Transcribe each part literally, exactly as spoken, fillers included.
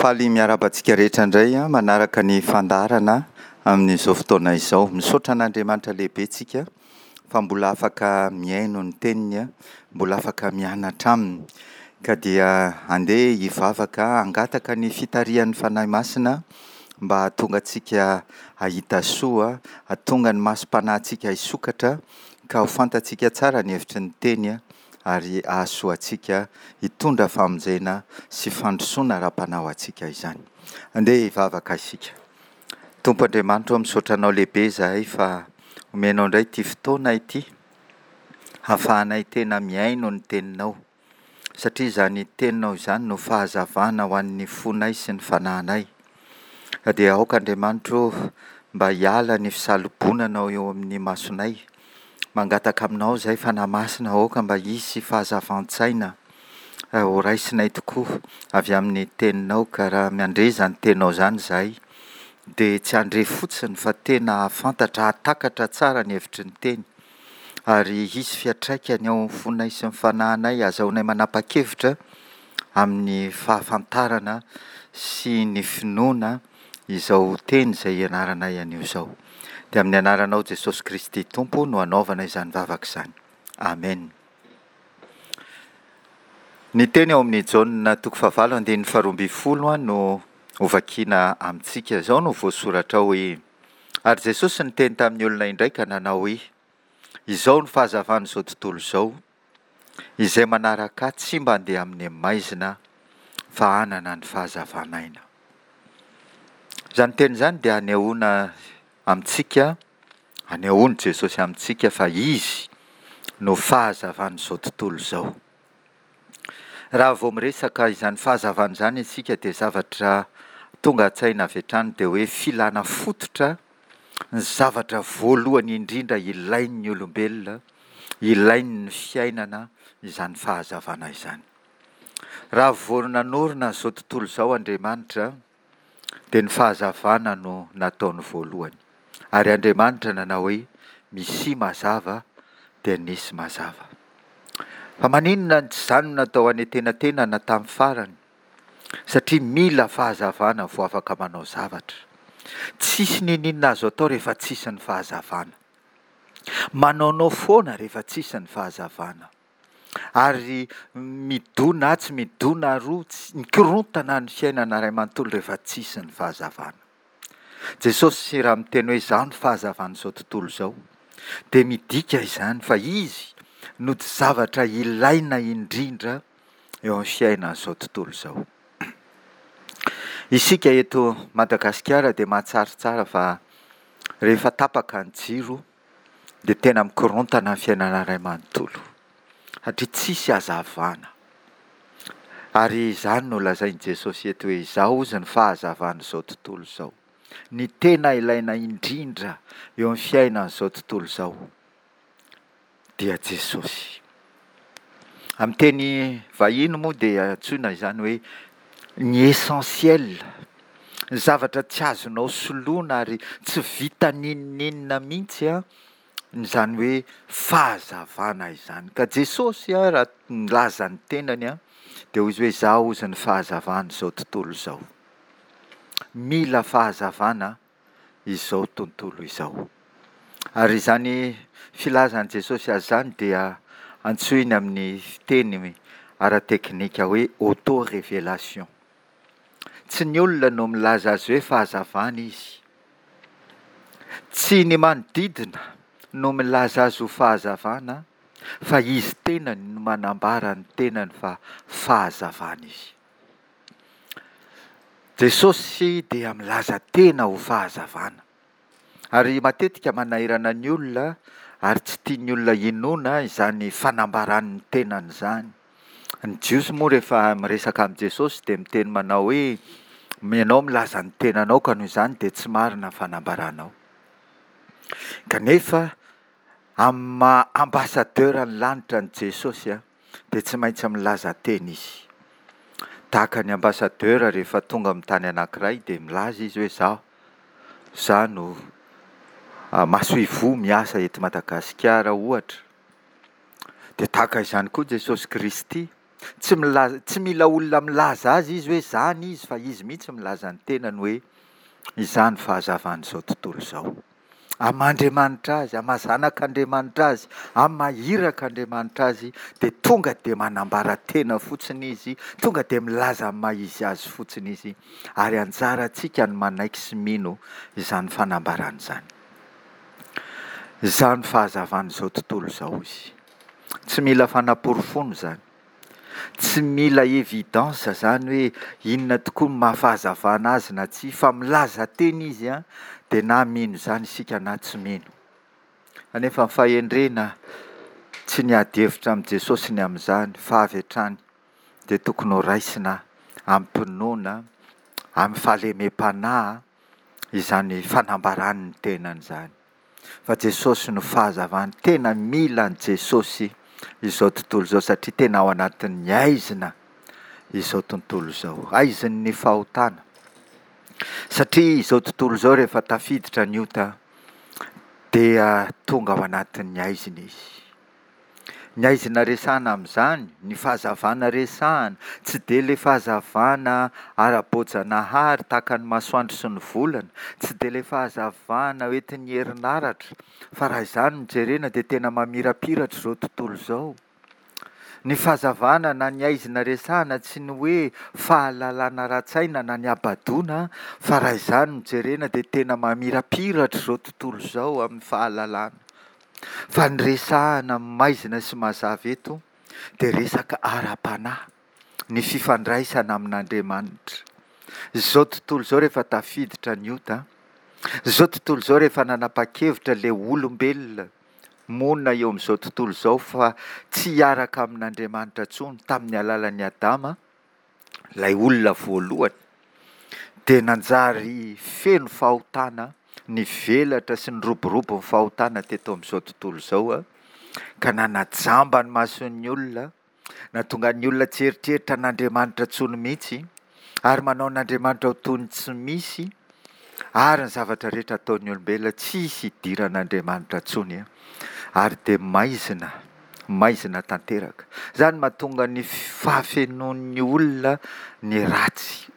Faly miarahaba antsika rehetra indray manaraka ny fandaharana amin'izao fotoana izao. Misaotra an'Andriamanitra lehibe tsika fa mbola afaka mihaino ny teniny, mbola afaka mianatra aminy. Ka dia andeha hivavaka hangataka ny fitarihan'ny Fanahy Masina mba hahatonga antsika hahita soa, hahatonga ny masom-panahintsika hisokatra ka ho fantatsika tsara ny hevitry ny teny ary hahasoa antsika hitondra famonjena sy fandrosoana ara-panahy ho antsika izany. Andeha hivavaka isika. Tompo Andriamanitra ô, misaotra Anao lehibe izahay fa omenao indray ity fotoana ity hahafahanay tena mihaino ny Teninao, satria izany Teninao izany no fahazavana ho an'ny fonay sy ny fanahinay. Ka dia aoka Andriamanitra ô mba hiala ny fisalobonanao eo amin'ny masonay. Mangataka aminao izahay Fanahy Masina, aoka mba hisy fahazavan-tsaina ho raisinay tokoa avy amin'ny Teninao, ka raha mandre izany Teninao izany izahay dia tsy handre fotsiny fa tena hahafantatra, hahatakatra tsara ny hevitry ny Teny, ary hisy fiantraikany ao amin'ny fonay sy ny fanahinay, hahazahoanay manapa-kevitra amin'ny fahafantarana sy ny finoana izao Teny izay ianaranay anio izao. Dia amin'ny anaranao Jesosy Kristy Tompo no anaovana izany vavaka izany. Amen. Ny teny ao amin'ny Jaona toko fahavalo andininy faharoa ambin'ny folo no hovakiana amintsika. Izao no voasoratra ao hoe: Ary Jesosy niteny tamin'ny olona indray ka nanao hoe: Izao no fahazavan'izao tontolo izao, izay manaraka ahy tsy mba handeha amin'ny maizina fa hanana ny fahazavan'aina. Izany teny izany dia anehoana amintsika, anehoan'i Jesosy amintsika fa Izy no fahazavan'izao tontolo izao. Raha vao miresaka izany fahazavana izany isika dia zavatra tonga an-tsaina avy hatrany dia hoe filana fototra, ny zavatra voalohany indrindra ilain'ny olombelona, ilain'ny fiainana izany fahazavana izany. Raha vao nanorina an'izao tontolo izao Andriamanitra dia ny fahazavana no nataony voalohany. Ary Andriamanitra nanao hoe misia mazava dia nisy mazava. Fa maninona no tsy izany no natao anentenatenana tamin'ny farany? Satria mila fahazavana vao afaka manao zavatra. Tsisy n'inon'inona azo atao rehefa tsisy ny fahazavana. Manaonao foana rehefa tsisy ny fahazavana. Ary midona atsy, midona aroa, mikorontana ny fiainana iray manontolo rehefa tsisy ny fahazavana. Jesosy raha miteny hoe izaho no fahazavan'izao tontolo izao, dia midika izany fa Izy no zavatra ilaina indrindra eo amin'ny fiainan'izao tontolo izao. Isika eto Madagasikara dia mahatsiaro tsara fa rehefa tapaka ny jiro dia tena mikorontana ny fiainana iray manontolo, satria tsisy hazavana. Ary izany no lazain'i Jesosy eto hoe izaho hozy ny fahazavan'izao tontolo izao. Ny tena ilaina indrindra eo amin'ny fiainan'izao tontolo izao dia Jesosy. Amin'ny teny vahiny moa dia antsoina izany hoe ny essentiel, ny zavatra tsy azonao soloina ary tsy vita n'inon'inona mihitsy izany hoe fahazavana izany. Ka Jesosy raha nilaza ny tenany dia hoy izy hoe izaho hozy ny fahazavan'izao tontolo izao. Mila fahazavana izao tontolo izao. Ary izany filazan'i Jesosy azy izany dia antsoiny amin'ny fiteny ara-teknika hoe auto-révélation. Tsy ny olona no milaza azy hoe fahazavana izy. Tsy ny manodidina no milaza azy ho fahazavana, fa izy tenany no manambara ny tenany fa fahazavana izy. Jesosy dia milaza tena ho fahazavana. Ary matetika manahirana ny olona ary tsy tian'ny olona hinoana izany fanambaran'ny tenany izany. Ny Jiosy moa rehefa miresaka amin'i Jesosy dia miteny manao hoe ianao milaza ny tenanao ka noho izany dia tsy marina ny fanambaranao. Kanefa amin'ny maha ambassadeur ny lanitra an'i Jesosy dia tsy maintsy milaza tena izy. Tahaka ny ambassadeur rehefa tonga amin'ny tany anankiray dia milaza izy hoe izaho, izaho no masoivoho miasa eto Madagasikara ohatra. Dia tahaka izany koa Jesosy Kristy Tsy milaza, tsy mila olona milaza azy izy hoe izany izy fa izy mihitsy milaza ny tenany hoe izaho no fahazavan'izao tontolo izao. Amin'ny maha Andriamanitra azy, amin'ny maha zanak'Andriamanitra azy, amin'ny maha irak'Andriamanitra azy dia tonga dia manambara tena fotsiny izy, tonga dia milaza ny maha izy azy fotsiny izy ary anjarantsika ny manaiky sy mino izany fanambarana izany. Izaho no fahazavan'izao tontolo izao izy. Tsy mila fanaporofoana izany. Tsy mila evidence izany hoe inona tokoa no maha fahazavana azy na tsia fa milaza tena izy an, dia na mino izany isika na tsy mino. Kanefa ny fahendrena tsy niady hevitra amin'i Jesosy ny amin'izany fa avy hatrany dia tokony ho raisina amim-pinoana, amin'ny fahalemem-panahy izany fanambarany ny tenany izany. Fa Jesosy no fahazavany, tena mila an'i Jesosy izao tontolo izao satria tena ao anatin'ny haizina izao tontolo izao, haizin'ny fahotana. Satria izao tontolo izao rehefa tafiditra ny ota dia tonga ao anatin'ny haizina izy. Ny haizina resahana amin'izany, ny fahazavana resahana, tsy dia ilay fahazavana ara-boajanahary tahaka ny masoandro sy ny volana, tsy dia ilay fahazavana hoentin'ny herinaratra, fa raha izany no jerena dia tena mamirapiratra izao tontolo izao. Ny fahazavana na ny haizina resahana tsy ny hoe fahalalana ara-tsaina na ny habadoana, fa raha izany no jerena dia tena mamirapiratra izao tontolo izao amin'ny fahalalana. Fa ny resahana maizina sy mazava eto dia resaka ara-panahy, ny fifandraisana amin'Andriamanitra. Izao tontolo izao rehefa tafiditra ny ota, izao tontolo izao rehefa nanapa-kevitra ilay olombelona monina eo amin'izao tontolo izao fa tsy hiaraka amin'Andriamanitra intsony tamin'ny alalan'i Adama, ilay olona voalohany, dia nanjary feno fahotana, nivelatra sy niroborobo ny fahotana teto amin'izao tontolo izao, ka nanajamba ny mason'ny olona, nahatonga ny olona tsy hieritreritra an'Andriamanitra intsony mihitsy, ary manao an'Andriamanitra ho toy ny tsy misy, ary ny zavatra rehetra ataon'ny olombelona tsisy idiran'Andriamanitra intsony, ary dia maizina, maizina tanteraka. Izany mahatonga ny fahafenoan'ny olona ny ratsy.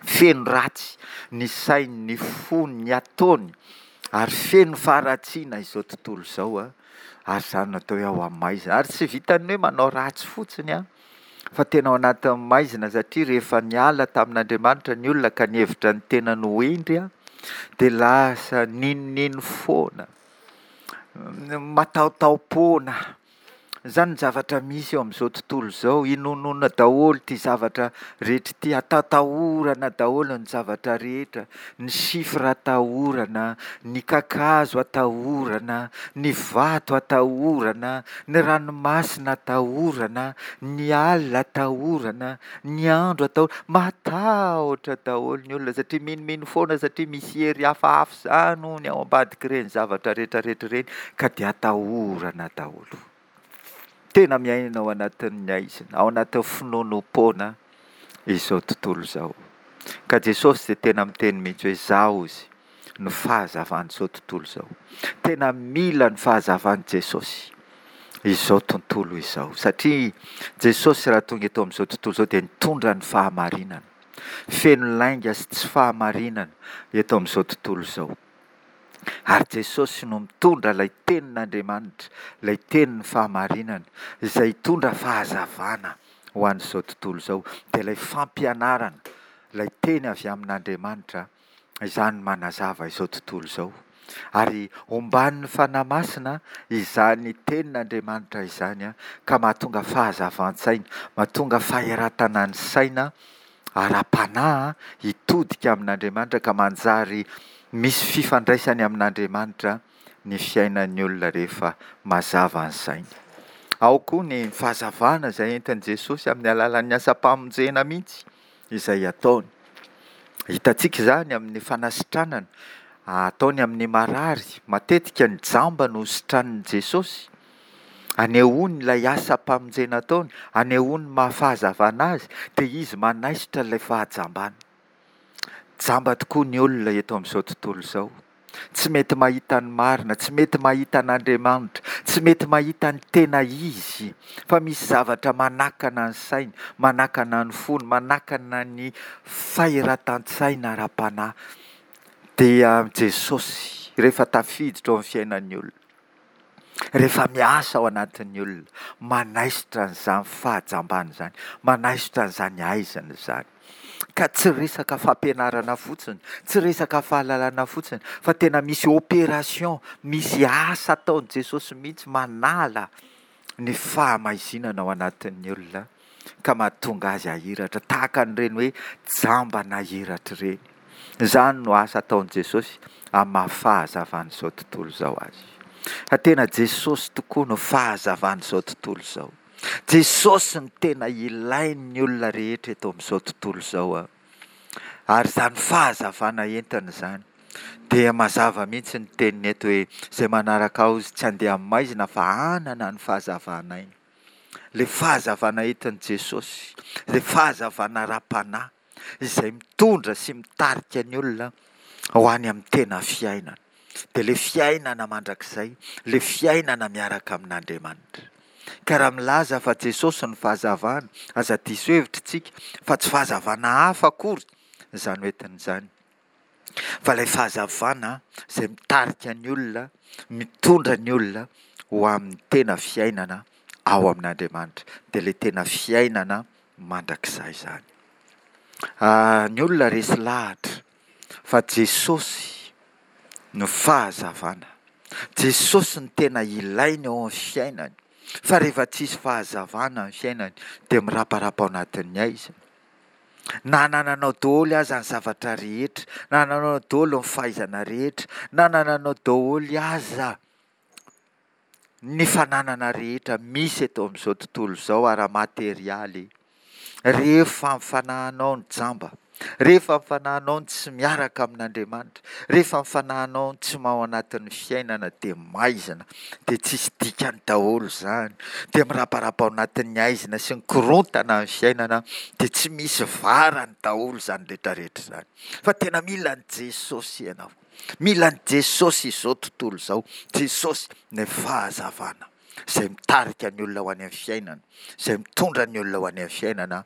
Feno ratsy ny sainy, ny fony, ny ataony, ary feno faharatsiana izao tontolo izao, ary izany no atao hoe ao amin'ny maizina. Ary tsy vitan'ny hoe manao ratsy fotsiny an, fa tena ao anatin'ny maizina satria rehefa niala tamin'Andriamanitra ny olona ka nihevitra ny tenany ho hendry an, dia lasa ninonino foana, matahotaho-poana. Izany ny zavatra misy eo amin'izao tontolo izao, inoanoana daholo ity zavatra rehetra ity, atatahorana daholo ny zavatra rehetra, ny chiffre atahorana, ny kakazo atahorana, ny vato atahorana, ny ranomasina atahorana, ny alina atahorana, ny andro atahorana, matahotra daholo ny olona satria minomino foana satria misy hery hafahafa izany hono ao ambadik'ireny zavatra rehetra rehetra ireny ka dia atahorana daholo. Tena miaina ao anatin'ny haizina, ao anatin'ny finoanoam-poana izao tontolo izao. Ka Jesosy dia tena miteny mihitsy hoe izaho izy no fahazavan'izao tontolo izao. Tena mila ny fahazavan'i Jesosy izao tontolo izao. Satria Jesosy raha tonga eto amin'izao tontolo izao dia nitondra ny fahamarinana. Feno lainga sy tsy fahamarinana eto amin'izao tontolo izao. Ary Jesosy no mitondra ilay tenin'Andriamanitra, ilay tenin'ny fahamarinana, izay hitondra fahazavana ho an'izao tontolo izao. Dia ilay fampianarana, ilay teny avy amin'Andriamanitra, izany manazava izao tontolo izao. Ary omban'ny Fanahy Masina izany tenin'Andriamanitra izany ka mahatonga fahazavan-tsaina, mahatonga fahiratana ny saina ara-panahy hitodika amin'Andriamanitra ka manjary misy fifandraisany amin'Andriamanitra ny fiainan'ny olona rehefa mazava ny sainy. Ao koa ny fahazavana izay entin'i Jesosy amin'ny alalan'ny asam-pamonjena mihitsy izay ataony. Hitantsika izany amin'ny fanasitranana ataony amin'ny marary. Matetika ny jamba no sitranin'i Jesosy. Anehoany ilay asam-pamonjena ataony, anehoany ny maha fahazavana azy, dia izy manaisotra ilay fahajambana. Jamba tokoa ny olona eto amin'izao tontolo izao. tsy mety mahita ny marina, tsy mety mahita an'Andriamanitra, tsy mety mahita ny tena izy, fa misy zavatra manakana ny sainy, manakana ny fony, manakana ny fahiratan-tsaina ara-panahy, dia Jesosy rehefa tafiditra ao amin'ny fiainan'ny olona, rehefa miasa ao anatin'ny olona, manaisotra an'izany fahajambana izany, manaisotra an'izany haizina izany. Ka tsy resaka fampianarana fotsiny, tsy resaka fahalalana fotsiny, fa tena misy opération, misy asa ataon'i Jesosy mihitsy manala ny fahamaizinana ao anatin'ny olona ka mahatonga azy hahiratra, tahaka an'ireny hoe jamba nahiratra ireny. Izany no asa ataon'i Jesosy amin'ny maha fahazavan'izao tontolo izao azy. Fa tena Jesosy tokoa no fahazavan'izao tontolo izao. Jesosy no tena ilain'ny olona rehetra eto amin'izao tontolo izao. Ary izany fahazavana entiny izany dia mazava mihitsy ny teniny eto hoe izay manaraka ahy tsy handeha amin'ny maizina fa hanana ny fahazavana aina. Ilay fahazavana entin'i Jesosy, ilay fahazavana ara-panahy izay mitondra sy mitarika ny olona ho any amin'ny tena fiainana. Dia ilay fiainana mandrakizay, ilay fiainana miaraka amin'Andriamanitra. Ka raha milaza fa Jesosy no fahazavana, aza diso hevitra isika fa tsy fahazavana hafa akory izany hoentiny izany. Fa ilay fahazavana izay mitarika ny olona, mitondra ny olona ho amin'ny tena fiainana ao amin'Andriamanitra. Dia ilay tena fiainana mandrakizay izany. Ny olona resy lahatra fa Jesosy no fahazavana. Jesosy no tena ilainy ao amin'ny fiainany. Fa rehefa tsisy fahazavana ny fiainany dia miraparapa ao anatin'ny haizina. Na anananao daholo aza ny zavatra rehetra, na anananao daholo ny fahaizana rehetra, na anananao daholo aza ny fananana rehetra misy eto amin'izao tontolo izao ara-materialy, rehefa ny fanahinao no jamba, rehefa ny fanahinao no tsy miaraka amin'Andriamanitra, rehefa ny fanahinao no tsy ao anatin'ny fiainana dia maizina, dia tsisy dikany daholo izany, dia miraparapa ao anatin'ny haizina sy ny korontana ny fiainana, dia tsy misy varany daholo izany rehetrarehetra izany. Fa tena mila an'i Jesosy ianao. Mila an'i Jesosy izao tontolo izao. Jesosy ny fahazavana izay mitarika ny olona ho any amin'ny fiainana, izay mitondra ny olona ho any amin'ny fiainana,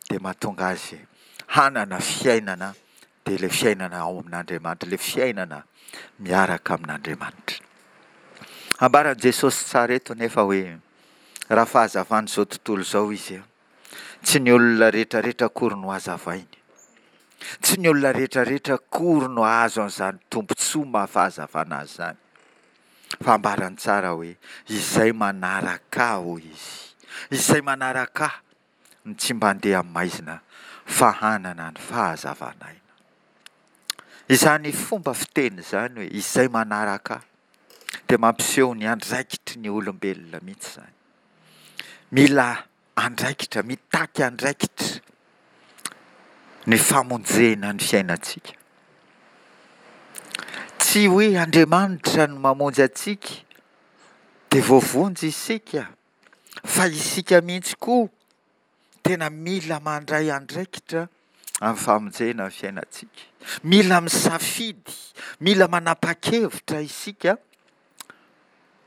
dia mahatonga azy hanana fiainana, dia ilay fiainana ao amin'Andriamanitra, ilay fiainana miaraka amin'Andriamanitra. Ambaran'i Jesosy tsara eto nefa hoe raha fahazavan'izao tontolo izao izy, tsy ny olona rehetrarehetra akory no hazavainy. Tsy ny olona rehetrarehetra akory no hahazo an'izany tombontsoa maha fahazavana azy izany. Fa ambarany tsara hoe izay manaraka ahy, hoy izy, izay manaraka ahy no tsy mba handeha amin'ny maizina fa hanana ny fahazavana aina. Izany fomba fiteny izany hoe izay manaraka ahy dia mampiseho ny andraikitry ny olombelona mihitsy izany. Mila andraikitra, mitaky andraikitra ny famonjena ny fiainantsika. Tsy hoe Andriamanitra no mamonjy antsika dia voavonjy isika, fa isika mihitsy koa tena mila mandray andraikitra amin'ny famonjena ny fiainantsika. Mila misafidy, mila manapa-kevitra isika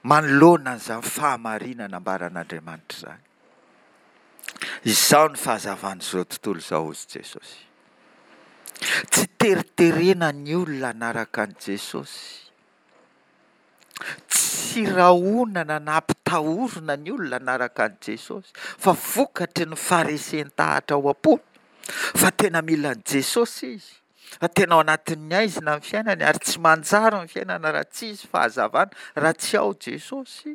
manoloana an'izany fahamarinana ambaran'Andriamanitra izany. Izao ny fahazavan'izao tontolo izao, hoy Jesosy. Tsy teriterena ny olona hanaraka an'i Jesosy. Tsy rahonana na ampitahorina ny olona hanaraka an'i Jesosy, fa vokatry ny faharesen-dahatra ao am-pony fa tena mila an'i Jesosy izy, fa tena ao anatin'ny haizina ny fiainany ary tsy manjary ny fiainana raha tsy hisy fahazavana, raha tsy ao Jesosy.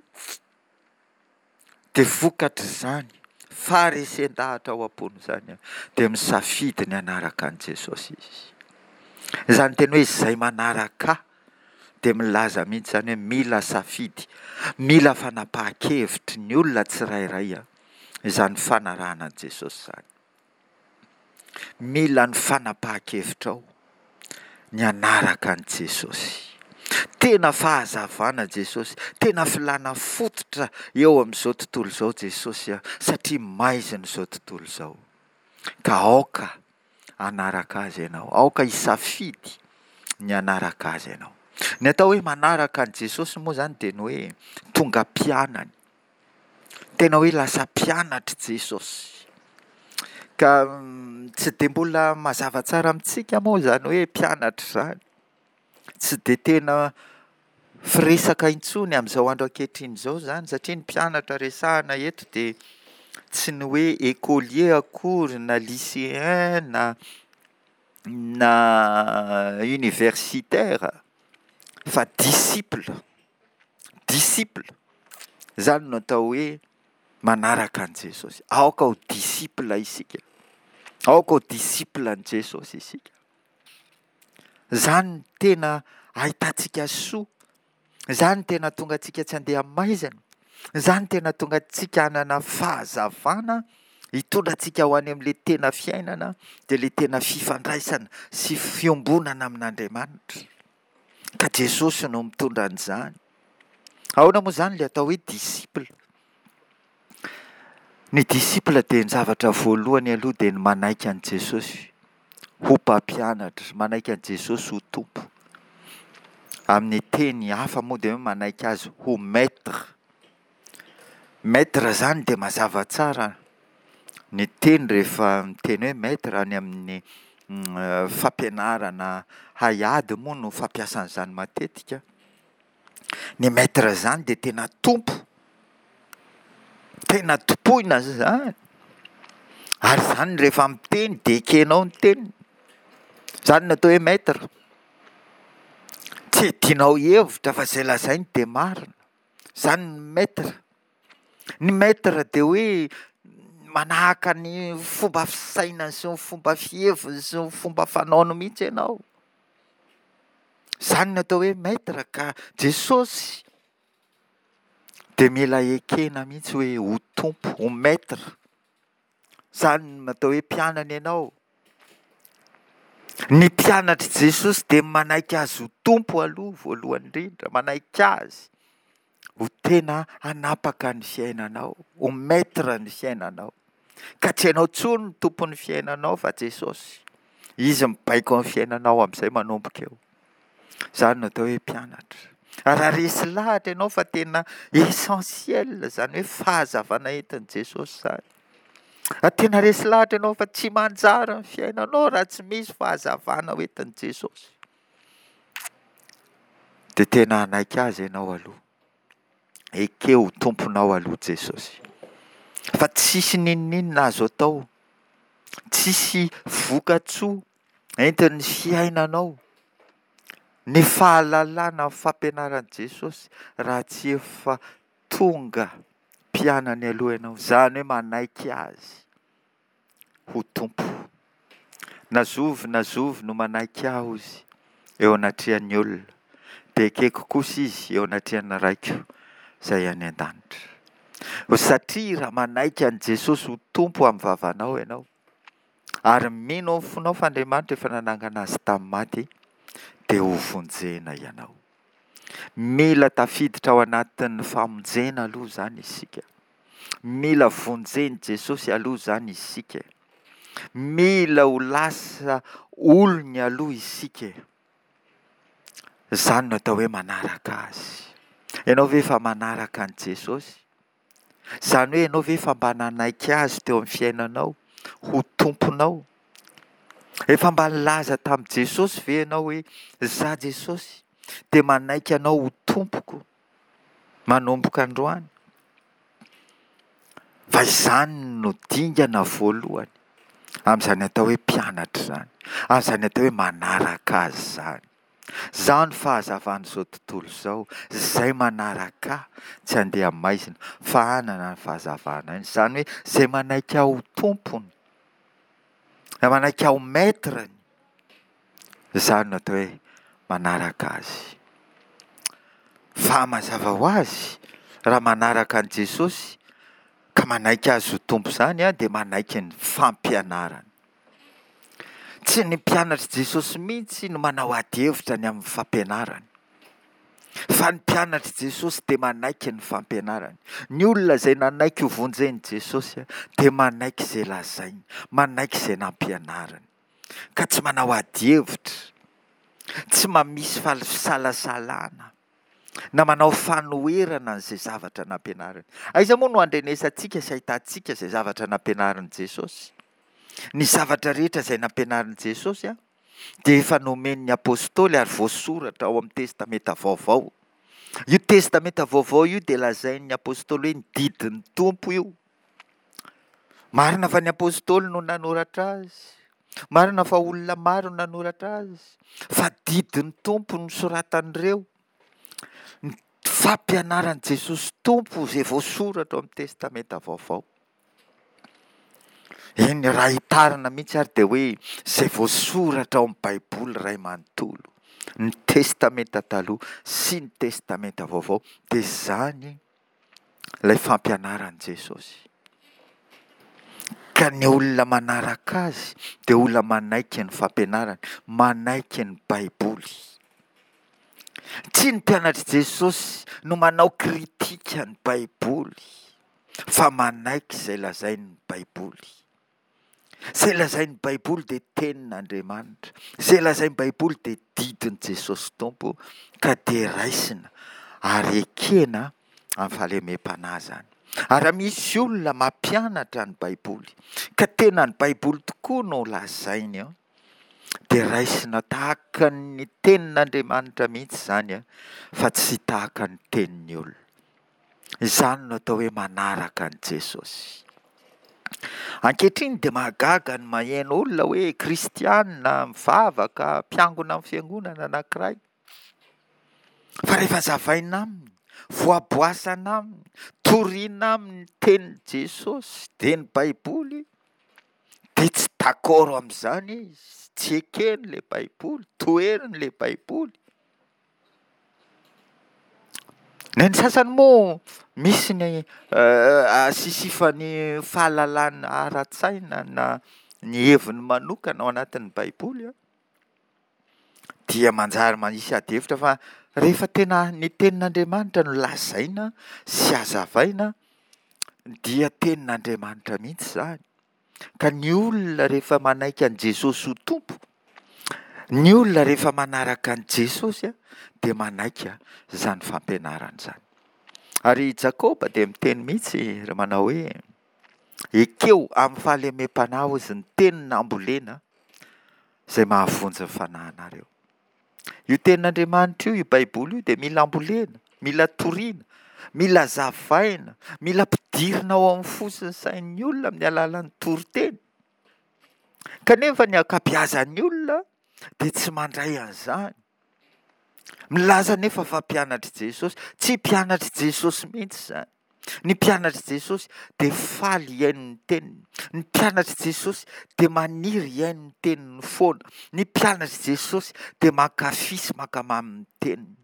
Dia vokatr'izany faharesen-dahatra ao am-pony izany dia misafidy ny hanaraka an'i Jesosy izy. Izany teny hoe izay manaraka ahy dia milaza mihitsy izany hoe mila safidy, mila fanapahan-kevitry ny olona tsirairay izany fanarahana an'i Jesosy izany. Mila ny fanapahan-kevitrao ny hanaraka an'i Jesosy. Tena fahazavana Jesosy, tena filàna fototra eo amin'izao tontolo izao Jesosy, satria maizina izao tontolo izao. Ka aoka hanaraka Azy ianao, aoka hisafidy ny hanaraka Azy ianao. Ny atao hoe manaraka an'i Jesosy moa izany dia ny hoe tonga mpianany. Tena hoe lasa mpianatr'i Jesosy. Ka tsy dia mbola mazava tsara amintsika moa izany hoe mpianatra izany. Tsy dia tena firesaka intsony amin'izao andro ankehitriny izao izany satria ny mpianatra resahina eto dia tsy ny hoe écolier akory na lycéen na na universitaire fa disciple, disciple, izany no atao hoe manaraka an'i Jesosy. Aoka ho disciple isika, aoka ho disciple an'i Jesosy isika. Izany no tena ahitantsika soa, izany no tena hahatonga antsika tsy handeha amin'ny maizina, izany no tena hahatonga antsika hanana fahazavana hitondra antsika ho any amin'ilay tena fiainana, dia ilay tena fifandraisana sy fiombonana amin'Andriamanitra. Ka Jesosy no mitondra an'izany. Ahoana moa izany ilay atao hoe disciple? Ny disciple dia ny zavatra voalohany aloha dia ny manaiky an'i Jesosy ho mpampianatra, manaiky an'i Jesosy ho Tompo. Amin'ny teny hafa moa dia hoe manaiky azy ho maître. Maître izany dia mazava tsara ny teny rehefa miteny hoe maître any amin'ny fampianarana haiady moa no fampiasana izany matetika. Ny maître izany dia tena tompo, tena tompoina izany, ary izany rehefa miteny dia ekenao ny teniny, izany no atao hoe maître, tsy iadianao hevitra fa izay lazainy dia marina, izany ny maître. Ny maître dia hoe manahaka ny fomba fisainany sy ny fomba fiheviny sy ny fomba fanaony mihitsy ianao. Izany no atao hoe maître ka Jesosy dia mila ekena mihitsy hoe ho tompo, ho maître. Izany no atao hoe mpianany ianao. Ny mpianatr'i Jesosy dia manaiky azy ho tompo aloha voalohany indrindra, manaiky azy ho tena hanapaka ny fiainanao, ho maître ny fiainanao. Ka tsy ianao intsony no tompon'ny fiainanao fa Jesosy. Izy mibaiko ny fiainanao amin'izay manomboka eo. Izany no atao hoe mpianatra. Raha resy lahatra ianao fa tena essentiel izany hoe fahazavana entin'i Jesosy izany. Raha tena resy lahatra ianao fa tsy manjary ny fiainanao raha tsy misy fahazavana hoentin'i Jesosy, dia tena hanaiky azy ianao aloha. Ekeo ho tomponao aloha Jesosy. Fa tsisy n'inon'inona azo atao, tsisy vokatsoa entin'ny fiainanao, ny fahalalana ny fampianaran'i Jesosy raha tsy efa tonga mpianany aloha ianao, izany hoe manaiky Azy ho Tompo. Na zovy na zovy no manaiky Ahy hozy eo anatrehan'ny olona, dia ekeko kosa izy eo anatrehan'ny Raiko izay any an-danitra. Satria raha manaiky an'i Jesosy ho Tompo amin'ny vavanao ianao, ary mino amin'ny fonao fa Andriamanitra efa nanangana azy tamin'ny maty, dia hovonjena ianao. Mila tafiditra ao anatin'ny famonjena aloha izany isika. Mila vonjen'i Jesosy aloha izany isika. Mila ho lasa olony aloha isika. Izany no atao hoe manaraka azy. Ianao ve efa manaraka an'i Jesosy? Izany hoe ianao ve efa mba nanaiky azy teo amin'ny fiainanao ho tomponao? Efa mba nilaza tamin'i Jesosy ve ianao hoe izaho Jesosy dia manaiky anao ho tompoko manomboka androany? Fa izany no dingana voalohany amin'izany atao hoe mpianatra izany, amin'izany atao hoe manaraka azy izany. Izaho no fahazavan'izao tontolo izao, izay manaraka ahy tsy handeha maizina fa hanana ny fahazavana aina. Izany hoe izay manaiky ahy ho tompony, izay manaiky ahy ho maître-ny, izany no atao hoe manaraka azy. Fa mazava ho azy, raha manaraka an'i Jesosy ka manaiky azy ho Tompo izany dia manaiky ny fampianarany. Tsy ny mpianatr'i Jesosy mihitsy no manao ady hevitra ny amin'ny fampianarany. Fa ny mpianatr'i Jesosy dia manaiky ny fampianarany. Ny olona izay nanaiky ho vonjen'i Jesosy dia manaiky izay lazainy, manaiky izay nampianariny. Ka tsy manao ady hevitra. Tsy mba misy fisalasalana na manao fanoherana an'izay zavatra nampianariny. Aiza moa no andrenesantsika sy ahitantsika izay zavatra nampianarin'i Jesosy? Ny zavatra rehetra izay nampianarin'i Jesosy dia efa nomen'ny apostoly ary voasoratra ao amin'ny Testamenta Vaovao. Io Testamenta Vaovao io dia lazain'ny apostoly hoe ny didin'ny Tompo io. Marina fa ny apostoly no nanoratra azy. Marina fa olona maro no nanoratra azy. Fa didin'ny Tompo no soratan'ireo. Ny fampianaran'i Jesosy Tompo izay voasoratra ao amin'ny Testamenta Vaovao. Eny, raha hitarina mihitsy ary dia hoe izay voasoratra ao amin'ny Baiboly iray manontolo, ny Testamenta Taloha sy ny Testamenta Vaovao, dia izany ilay fampianaran'i Jesosy. Ka ny olona manaraka azy dia olona manaiky ny fampianarany, manaiky ny Baiboly. Tsy ny mpianatr'i Jesosy no manao kritika ny Baiboly, fa manaiky izay lazain'ny Baiboly. Izay lazain'ny Baiboly dia tenin'Andriamanitra. Izay lazain'ny Baiboly dia didin'i Jesosy Tompo, ka dia raisina ary ekena amin'ny fahalemem-panahy izany. Ary raha misy olona mampianatra ny Baiboly, ka tena ny Baiboly tokoa no lazainy eo, dia raisina tahaka ny tenin'Andriamanitra mihitsy izany, fa tsy tahaka ny tenin'ny olona. Izany no atao hoe manaraka an'i Jesosy. Ankehitriny dia mahagaga ny maheno olona hoe kristiana, mivavaka, mpiangona amin'ny fiangonana anankiray. Fa rehefa zavaina aminy, voaboasana aminy, torina aminy ny tenin'i Jesosy, dia ny Baiboly, dia tsy d'accord amin'izany izy, tsy ekeny ilay Baiboly, toheriny ilay Baiboly. Ny an'ny sasany moa misy ny asisifany fahalalana ara-tsaina na ny heviny manokana ao anatin'ny Baiboly an, dia manjary manisy ady hevitra fa rehefa tena ny tenin'Andriamanitra no lazaina sy hazavaina dia tenin'Andriamanitra mihitsy izany. Ka ny olona rehefa manaiky an'i Jesosy ho Tompo, ny olona rehefa manaraka an'i Jesosy dia manaiky izany fampianarana izany. Ary i Jakoba dia miteny mihitsy raha manao hoe, ekeo amin'ny fahalemem-panahy hozy ny teny nambolena izay mahavonjy ny fanahinareo. Io tenin'Andriamanitra io, io Baiboly io dia mila ambolena, mila torina, mila zavaina, mila ampidirina ao amin'ny fo sy ny sain'ny olona amin'ny alalan'ny toriteny. Kanefa ny ankabeazan'ny olona dia tsy mandray an'izany. Milaza anefa fa mpianatr'i Jesosy. Tsy mpianatr'i Jesosy mihitsy izany. Ny mpianatr'i Jesosy dia faly hihaino ny teniny. Ny mpianatr'i Jesosy dia maniry hihaino ny teniny foana. Ny mpianatr'i Jesosy dia mankafy sy mankamamy ny teniny.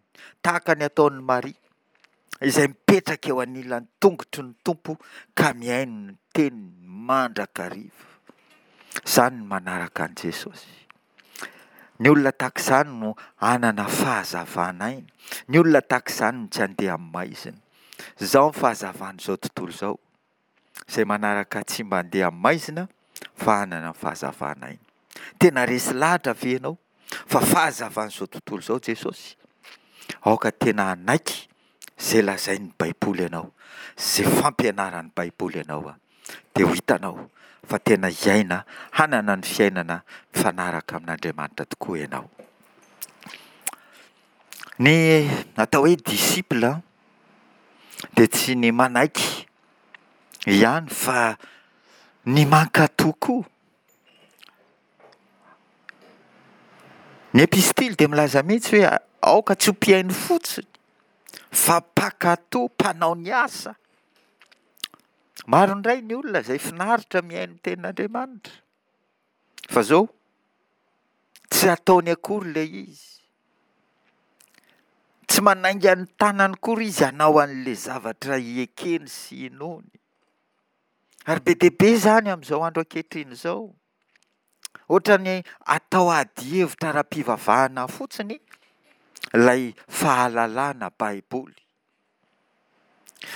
Tahaka ny ataon'i Maria, izay mipetraka eo anilan'ny tongotry ny Tompo ka mihaino ny teniny mandrakariva. Izany ny manaraka an'i Jesosy. Ny olona tahaka izany no hanana fahazavan'aina. Ny olona tahaka izany no tsy handeha amin'ny maizina. Izao ny fahazavan'izao tontolo izao. Izay manaraka tsy mba handeha amin'ny maizina fa hanana ny fahazavan'aina. Tena resy lahatra ve ianao fa fahazavan'izao tontolo izao Jesosy? Aoka tena hanaiky izay lazain'ny Baiboly ianao, izay fampianaran'ny Baiboly ianao, dia ho hitanao fa tena hiaina, hanana ny fiainana mifanaraka amin'Andriamanitra tokoa ianao. Ny atao hoe disciple dia tsy ny manaiky ihany fa ny mankatò koa. Ny epistily dia milaza mihitsy hoe aoka tsy ho mpihaino fotsiny fa mpankatò, mpanao ny asa. Maro indray ny olona izay finaritra mihaino ny tenin'Andriamanitra. Fa izao, tsy ataony akory ilay izy. Tsy manainga ny tanany akory izy hanao an'ilay zavatra ekeny sy inoany. Ary be dia be izany amin'izao andro ankehitriny izao. Ohatran'ny atao adihevitra ara-pivavahana fotsiny ilay fahalalana Baiboly.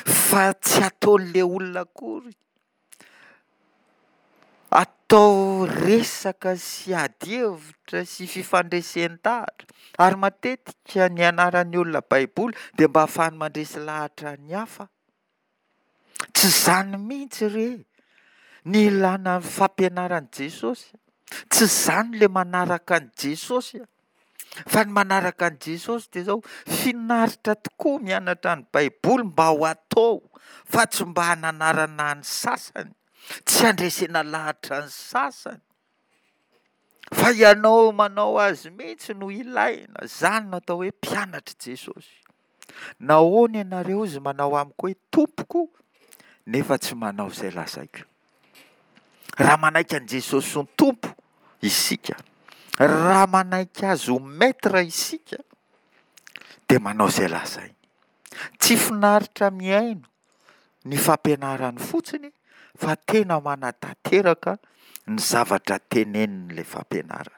Fa tsy ataon'ilay olona akory. Atao resaka sy ady hevitra sy fifandresen-dahatra, ary matetika ny anaran'ny olona Baiboly dia mba ahafahany mandresy lahatra ny hafa. Tsy izany mihitsy re ny ilàna ny fampianaran'i Jesosy, tsy izany ilay manaraka an'i Jesosy a! Fa ny manaraka an'i Jesosy dia izao, finaritra tokoa mianatra ny Baiboly mba ho atao fa tsy mba hananarana ny sasany, tsy handresena lahatra ny sasany, fa ianao manao azy mihitsy no ilaina. Izany no atao hoe mpianatr'i Jesosy. Nahoana ianareo izy manao amiko hoe tompoko nefa tsy manao izay lazaiko? Raha manaiky an'i Jesosy ho Tompo isika, raha manaiky Azy ho Maître isika, dia manao izay lazainy. Tsy finaritra mihaino ny fampianarany fotsiny fa tena manatanteraka ny zavatra tenenin'ilay fampianarana.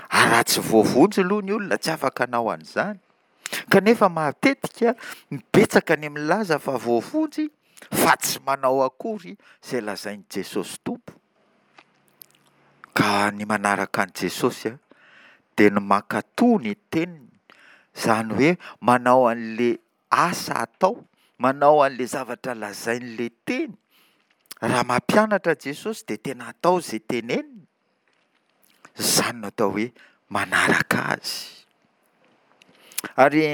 Ary raha tsy voavonjy aloha ny olona tsy afaka hanao an'izany. Kanefa matetika betsaka ny milaza fa voavonjy fa tsy manao akory izay lazain'i Jesosy Tompo. Ka ny manaraka an'i Jesosy dia ny mankatò ny teniny, izany hoe manao an'ilay asa atao, manao an'ilay zavatra lazain'ilay teny. Raha mampianatra Jesosy dia tena atao izay teneniny. Izany no atao hoe manaraka azy. Ary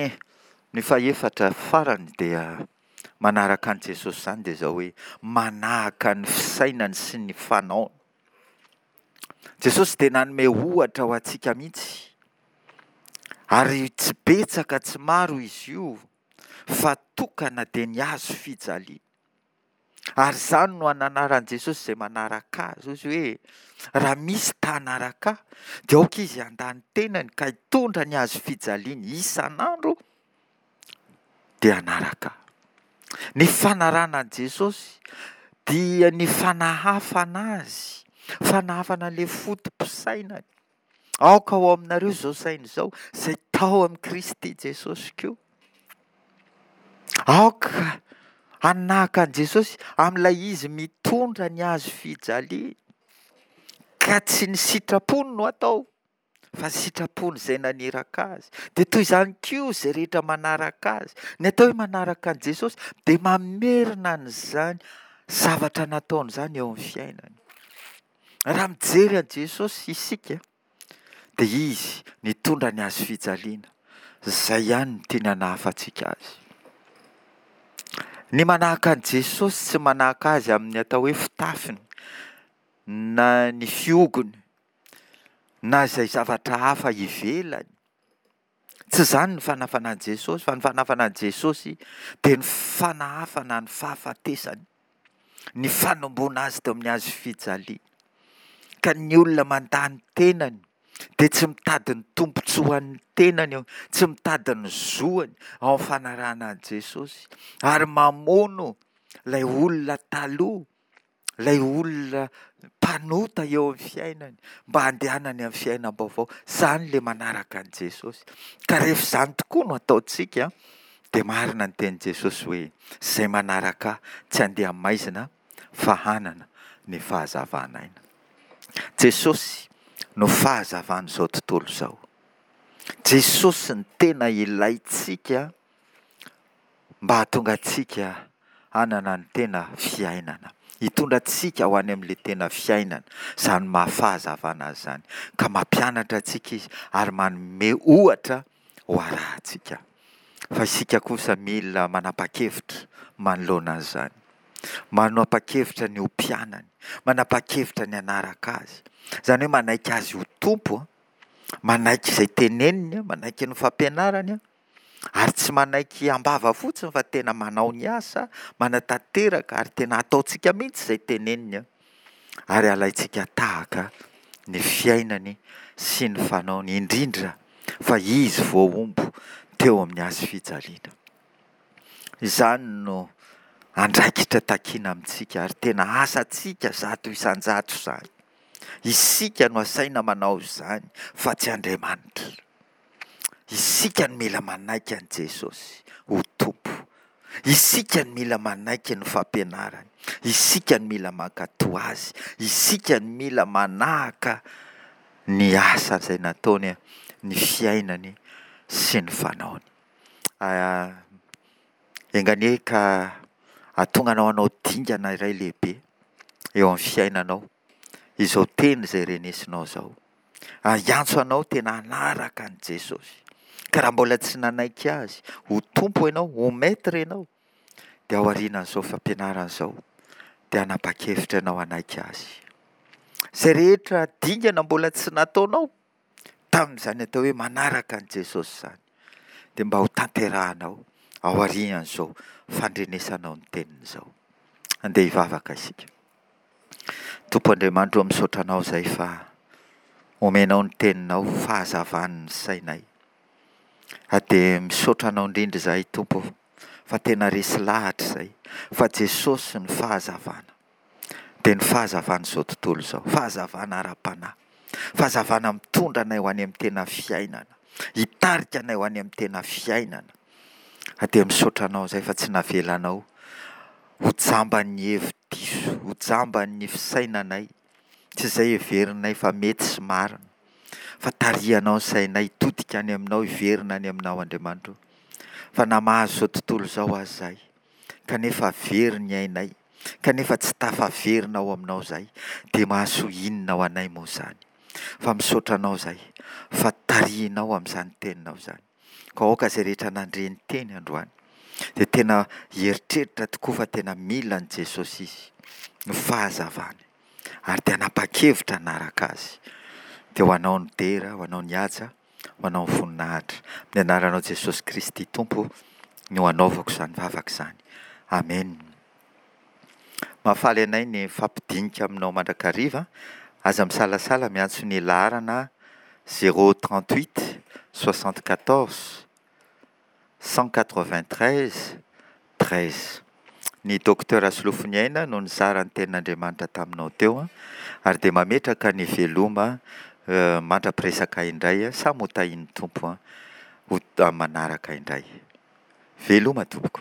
ny fahefatra farany dia manaraka an'i Jesosy izany dia izao hoe manahaka ny fisainany sy ny fanaony. Jesosy dia nanome ohatra ho antsika mihitsy. Ary tsy betsaka tsy maro izy io fa tokana dia ny hazo fijaliana. Ary izany no ananaran'i Jesosy izay manaraka azy. Hoy izy hoe, raha misy ta hanaraka ahy, dia aoka izy handà ny tenany ka hitondra ny hazo fijaliany isan'andro, dia hanaraka ahy. Ny fanarahana an'i Jesosy dia ny fanahafana azy, fanahafana ilay foto-pisainany. Aoka ho ao aminareo izao saina izao, izay tao amin'i Kristy Jesosy koa. Aoka hanahaka an'i Jesosy amin'ilay izy mitondra ny hazo fijaliana, ka tsy ny sitrapony no atao, fa ny sitrapony izay naniraka azy. Dia toy izany koa izay rehetra manaraka azy. Ny atao hoe manaraka an'i Jesosy dia mamerina an'izany zavatra nataony izany eo amin'ny fiainany. Raha mijery an'i Jesosy isika dia Izy nitondra ny hazo fijaliana. Izay ihany no tiany hanahafantsika azy. Ny manahaka an'i Jesosy tsy manahaka azy amin'ny atao hoe fitafiny na ny fihogony na izay zavatra hafa ivelany. Tsy izany ny fanahafana an'i Jesosy, fa ny fanahafana an'i Jesosy dia ny fanahafana ny fahafatesany, ny fanomboana azy teo amin'ny hazo fijaliana. Ka ny olona mandà ny tenany dia tsy mitady ny tombontsoan'ny tenany, tsy mitady ny zoany ao amin'ny fanarahana an'i Jesosy, ary mamono ilay olona taloha, ilay olona mpanota eo amin'ny fiainany mba handehanany amin'ny fiainam-baovao. Izany ilay manaraka an'i Jesosy. Ka rehefa izany tokoa no ataontsika dia marina ny tenin'i Jesosy hoe izay manaraka ahy tsy handeha maizina fa hanana ny fahazavan'aina. Jesosy no fahazavan'izao tontolo izao. Jesosy no tena ilaintsika mba hahatonga antsika hanana ny tena fiainana. Hitondra antsika ho any amin'ilay tena fiainana, izany maha fahazavana azy izany. Ka mampianatra antsika izy ary manome ohatra ho arahantsika. Fa isika kosa mila manapa-kevitra manoloana an'izany. Manapa-kevitra ny ho mpianany, manapa-kevitra ny hanaraka azy. Izany hoe manaiky azy ho Tompo, manaiky izay teneniny, manaiky ny fampianarany, ary tsy manaiky am-bava fotsiny fa tena manao ny asa, manatanteraka ary tena ataontsika mihitsy izay teneniny, ary alaintsika tahaka ny fiainany sy ny fanaony, indrindra fa izy voahombo teo amin'ny hazo fijaliana. Izany no andraikitra takiana amintsika ary tena asantsika zato isan-jato izany. Isika no asaina manao izany fa tsy Andriamanitra. Isika no mila manaiky an'i Jesosy ho Tompo. Isika no mila manaiky ny fampianarany. Isika no mila mankatò azy. Isika no mila manahaka ny asa izay nataony, ny fiainany sy ny fanaony. Enga anie ka hahatonga anao hanao dingana iray lehibe eo amin'ny fiainanao izao teny izay renesinao izao. Ary hiantso anao tena hanaraka an'i Jesosy. Ka raha mbola tsy nanaiky Azy ho Tompo ianao, ho Maître ianao, dia ao aorianan'izao fampianarana izao dia hanapa-kevitra ianao hanaiky Azy. Izay rehetra dingana mbola tsy nataonao tamin'izany atao hoe manaraka an'i Jesosy izany dia mba ho tanterahanao ao aorian'izao fandrenesanao ny teniny izao. Andeha hivavaka isika. Tompo Andriamanitro ô, misaotra Anao izahay fa omenao ny teninao fahazavan'ny sainay. Ary dia misaotra Anao indrindra izahay Tompo ô, fa tena resy lahatra izahay fa Jesosy no fahazavana. Dia ny fahazavan'izao tontolo izao, fahazavana ara-panahy, fahazavana mitondra anay ho any amin'ny tena fiainana, hitarika anay ho any amin'ny tena fiainana. Ary dia misaotra Anao izahay fa tsy navelanao ho jamban'ny hevi-diso, ho jamban'ny fisainanay, tsy izay heverinay fa mety sy marina, fa tarihanao ny sainay hitodika any Aminao, hiverina any Aminao Andriamanitra o. Fa na mahazo izao tontolo izao aza izahay, kanefa very ny ainay, kanefa tsy tafaverina ao Aminao izahay, dia mahasoa inona ho anay moa izany? Fa misaotra Anao izahay fa tarihinao amin'izany teninao izany. Ka aoka izay rehetra nandre ny teny androany dia tena hieritreritra tokoa fa tena mila an'i Jesosy izy, ny fahazavany, ary dia hanapa-kevitra hanaraka Azy. Dia ho Anao ny dera, ho Anao ny haja, ho Anao ny voninahitra. Amin'ny anaranao Jesosy Kristy Tompo no anaovako izany vavaka izany. Amen. Mahafaly anay ny mifampidinika aminao mandrakariva. Aza misalasala miantso ny laharana zéro trente huit soixante quatorze cent quatre vingt treize treize. Ny Docteur Rasolofoniaina no nizara ny tenin'Andriamanitra taminao teo ary dia mametraka ny veloma mandra-piresaka indray samy ho tahian'ny Tompo ho manaraka indray. Veloma tompoko.